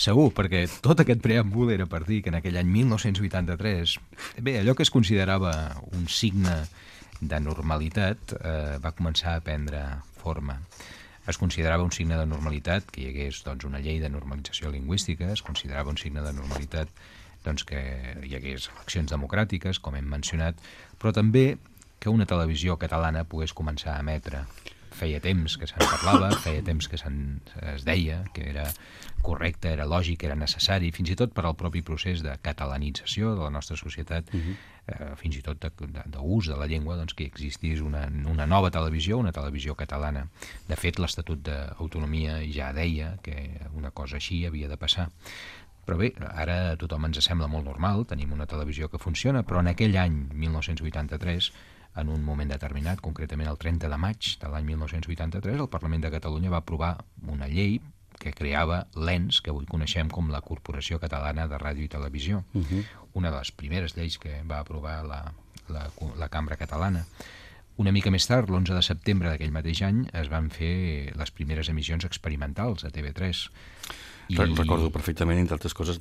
Segur, perquè tot aquest preàmbul era per dir que en aquell any 1983, bé, allò que es considerava un signe de normalitat va començar a prendre forma. Es considerava un signe de normalitat que hi hagués doncs, una llei de normalització lingüística, es considerava un signe de normalitat doncs, que hi hagués eleccions democràtiques, com hem mencionat, però també que una televisió catalana pogués començar a emetre. Feia temps que se'n parlava, feia temps que es deia que era correcte, era lògic, era necessari, fins i tot per al propi procés de catalanització de la nostra societat, fins i tot d'ús de la llengua, doncs, que existís una nova televisió, una televisió catalana. De fet, l'Estatut d'Autonomia ja deia que una cosa així havia de passar. Però bé, ara a tothom ens sembla molt normal, tenim una televisió que funciona, però en aquell any, 1983, en un moment determinat, concretament el 30 de maig de l'any 1983, el Parlament de Catalunya va aprovar una llei que creava l'ENS, que avui coneixem com la Corporació Catalana de Ràdio i Televisió. Una de les primeres lleis que va aprovar la Cambra Catalana. Una mica més tard, l'11 de setembre d'aquell mateix any, es van fer les primeres emissions experimentals a TV3. Recordo perfectament, entre altres coses,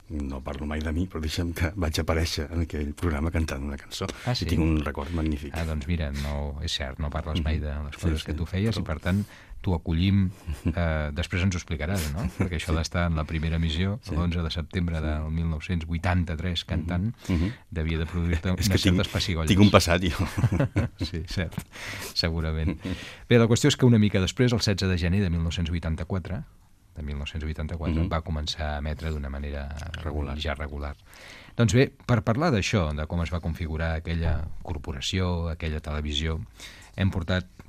no parlo mai de mi, però deixa'm que vaig aparèixer en aquell programa cantant una cançó. Sí? I tinc un record magnífic. Doncs mira, no, és cert, no parles mai de les coses que tu feies, i per tant t'ho acollim, després ens ho explicaràs, no? Perquè això d'estar en la primera emissió, l'11 de setembre del 1983, cantant, devia de produir-te unes certes pessigolles. Tinc un passat, jo. Sí, cert, segurament. Bé, la qüestió és que una mica després, el 16 de gener de 1984, va començar a emetre d'una manera regular. Doncs bé, per parlar d'això, de com es va configurar aquella corporació, aquella televisió,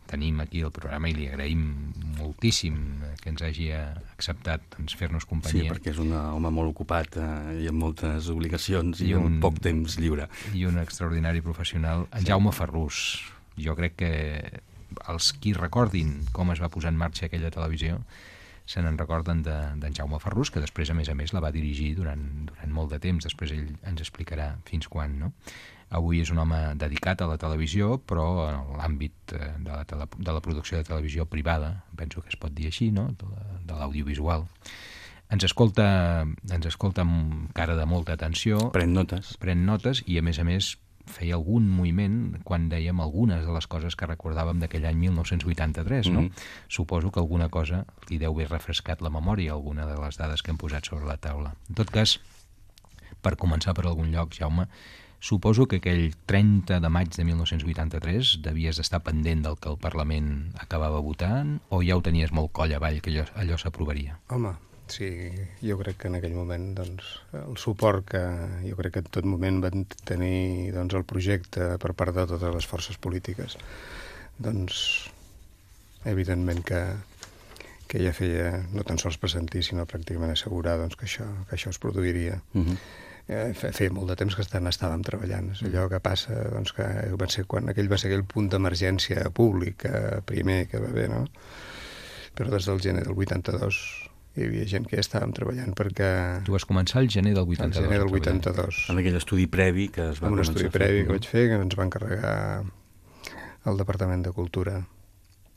tenim aquí el programa i li agraïm moltíssim que ens hagi acceptat fer-nos companyia. Sí, perquè és un home molt ocupat i amb moltes obligacions i amb poc temps lliure. I un extraordinari professional, en Jaume Ferrús. Jo crec que els qui recordin com es va posar en marxa aquella televisió se n'en recorden d'en Jaume Ferrús, que després, a més, la va dirigir durant molt de temps. Després ell ens explicarà fins quan, no? Avui és un home dedicat a la televisió, però en l'àmbit de la producció de televisió privada, penso que es pot dir així, no? De l'audiovisual. Ens escolta amb cara de molta atenció. Pren notes i, a més, feia algun moviment quan dèiem algunes de les coses que recordàvem d'aquell any 1983, no? Suposo que alguna cosa li deu haver refrescat la memòria, alguna de les dades que hem posat sobre la taula. En tot cas, per començar per algun lloc, Jaume, suposo que aquell 30 de maig de 1983 devies estar pendent del que el Parlament acabava votant, o ja ho tenies molt coll avall que allò s'aprovaria? Home, sí, jo crec que en aquell moment el suport que jo crec que en tot moment van tenir el projecte per part de totes les forces polítiques, evidentment que ja feia no tan sols pressentir, sinó pràcticament assegurar que això es produiria. Feia molt de temps que estàvem treballant. És allò que passa que quan aquell va ser aquell punt d'emergència públic primer que va haver, no? Però des del gener del 82 hi havia gent que ja estàvem treballant perquè... Tu vas començar el gener del 82. El gener del 82. Amb aquell estudi previ que es va començar a fer. Un estudi previ que vaig fer, que ens va encarregar el Departament de Cultura,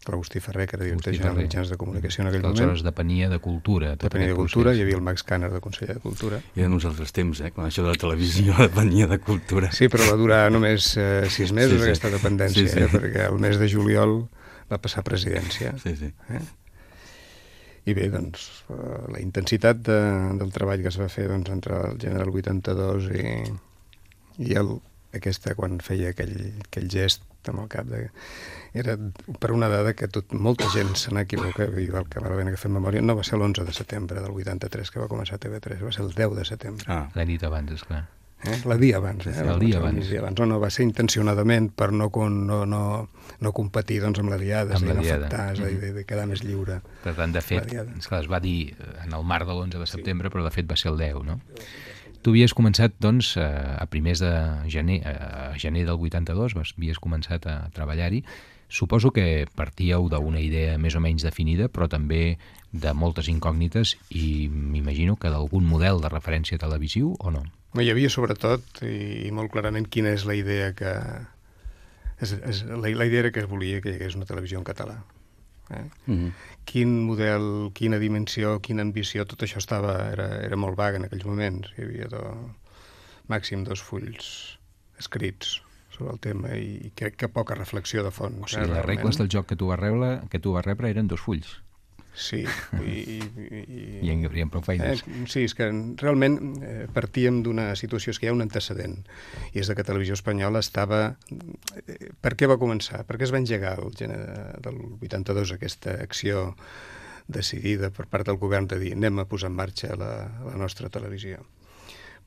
l'Agustí Ferrer, que era director general de mitjans de comunicació en aquell moment. Aleshores depenia de Cultura. Depenia de Cultura, hi havia el Max Canner de conseller de Cultura. I eren uns altres temps, quan això de la televisió depenia de Cultura. Sí, però va durar només 6 mesos aquesta dependència, perquè el mes de juliol va passar a presidència. I bé, la intensitat del treball que es va fer entre el gener del 82 i aquesta, quan feia aquell gest amb el cap, era per una dada que molta gent se n'equivoca, i el que val la pena que fem memòria, no va ser l'11 de setembre del 83 que va començar TV3, va ser el 10 de setembre. La nit abans, esclar. El dia abans. El dia abans. No, va ser intencionadament per no competir amb la diada, no afectar, de quedar més lliure. Per tant, de fet, es va dir en el marc de l'11 de setembre, però de fet va ser el 10, no? Tu havies començat, a primers de gener del 82, havies començat a treballar-hi. Suposo que partíeu d'una idea més o menys definida, però també de moltes incògnites i m'imagino que d'algun model de referència televisiu, o no? Hi havia sobretot, i molt clarament, quina és la idea que... La idea era que es volia que hi hagués una televisió en català. Quin model, quina dimensió, quina ambició, tot això era molt vague en aquells moments. Hi havia màxim 2 fulls escrits sobre el tema i crec que poca reflexió de fons. O sigui, les regles del joc que tu vas rebre eren 2 fulls. Sí. I en haurien prou feines. Sí, és que realment partíem d'una situació, és que hi ha un antecedent, i és que Televisió Espanyola estava... Per què va començar? Per què es va engegar el gener del 82 aquesta acció decidida per part del govern de dir anem a posar en marxa la nostra televisió?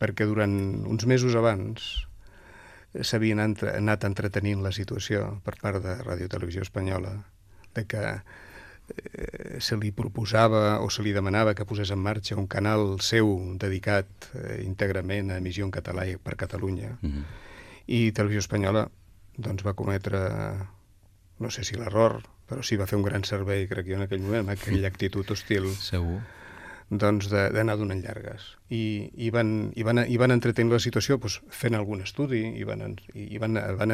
Perquè durant uns mesos abans s'havien anat entretenint la situació per part de Ràdio Televisió Espanyola de que se li proposava o se li demanava que posés en marxa un canal seu dedicat íntegrament a emissió en català i per Catalunya. I Televisió Espanyola doncs, va cometre, no sé si l'error, però sí va fer un gran servei, crec jo, en aquell moment, amb aquella actitud hostil. Segur. Doncs d'anar donant llargues. I van entretenir la situació doncs, fent algun estudi i van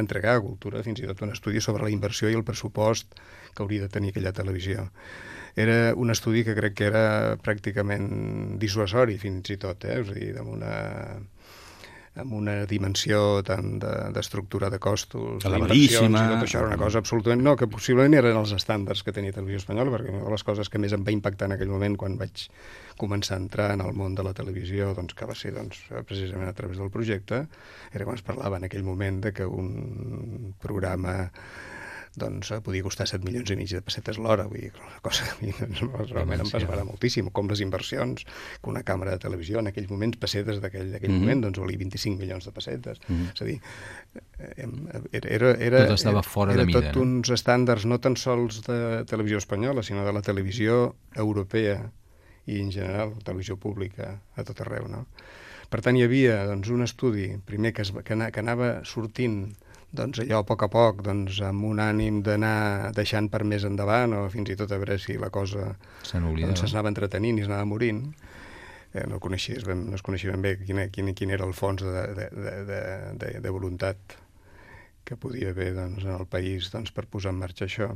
entregar a Cultura fins i tot un estudi sobre la inversió i el pressupost que hauria de tenir aquella televisió. Era un estudi que crec que era pràcticament dissuasori fins i tot, és a dir, amb una dimensió tant d'estructura de costos, d'inversions, i tot això era una cosa absolutament... No, que possiblement eren els estàndards que tenia Televisió Espanyola, perquè una de les coses que més em va impactar en aquell moment quan vaig començar a entrar en el món de la televisió, doncs, que va ser precisament a través del projecte, era quan es parlava en aquell moment de que un programa podia costar 7,5 milions de pessetes l'hora, vull dir, una cosa que a mi realment em va esverar moltíssim, com les inversions, que una càmera de televisió en aquells moments, pessetes d'aquell moment, doncs valia 25 milions de pessetes. És a dir, tot estava fora de mida. Era tot uns estàndards no tan sols de televisió espanyola, sinó de la televisió europea i en general, televisió pública a tot arreu, no? Per tant, hi havia un estudi, primer que anava sortint allò a poc, amb un ànim d'anar deixant per més endavant o fins i tot a veure si la cosa s'anava entretenint i s'anava morint. No es coneixia ben bé quin era el fons de voluntat que podia haver en el país per posar en marxa això.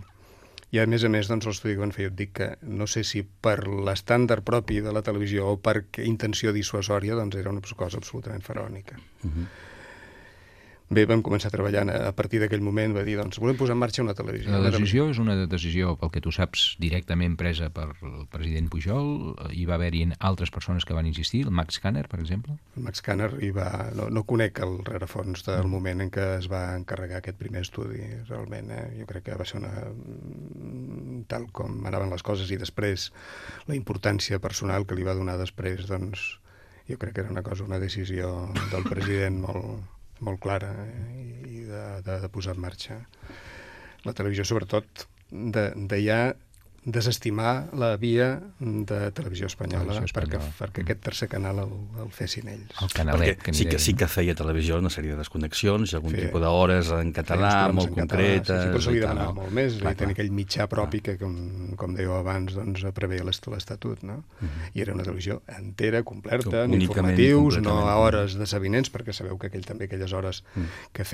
I a més, l'estudi que van fer, jo et dic que no sé si per l'estàndard propi de la televisió o per intenció dissuasòria, era una cosa absolutament faraònica. Bé, vam començar treballant a partir d'aquell moment, va dir, volem posar en marxa una televisió. La decisió és una decisió, pel que tu saps, directament presa per el president Pujol. Hi va haver-hi altres persones que van insistir, el Max Kanner, per exemple? El Max Kanner no conec el rerefons del moment en què es va encarregar aquest primer estudi, realment. Jo crec que va ser tal com anaven les coses i després la importància personal que li va donar després, jo crec que era una decisió del president molt clara i de posar en marxa la televisió, sobretot de ja desestimar la via de Televisió Espanyola perquè aquest tercer canal el fessin ells. El canalet. Perquè sí que feia televisió una sèrie de desconnexions i algun tipus d'hores en català molt concretes. Però se li demanava molt més, tenir aquell mitjà propi que, com dèieu abans, preveia l'Estatut, no? I era una televisió entera, completa, amb informatius, no a hores de sabinents, perquè sabeu que aquelles hores que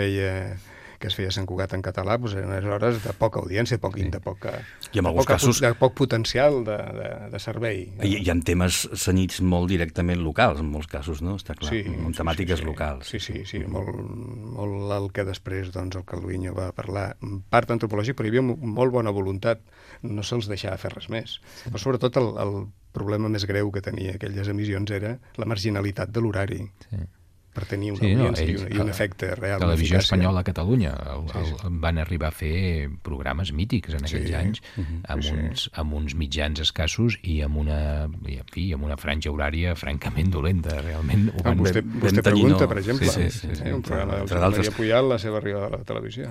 es feia Sant Cugat en català, eren hores de poca audiència, de poc potencial de servei. Hi ha temes cenyits molt directament locals, en molts casos, no? Està clar, amb temàtiques locals. Sí, molt el que després el Calviño va parlar, en part antropològic, però hi havia molt bona voluntat, no se'ls deixava fer res més. Però sobretot el problema més greu que tenia aquelles emissions era la marginalitat de l'horari. Per tenir una audiència i un efecte real. Televisió Espanyola a Catalunya van arribar a fer programes mítics en aquells anys, amb uns mitjans escassos i amb una franja horària francament dolenta, realment. Vostè pregunta, per exemple, un programa del Josep Maria Pujal, la seva arribada a la televisió.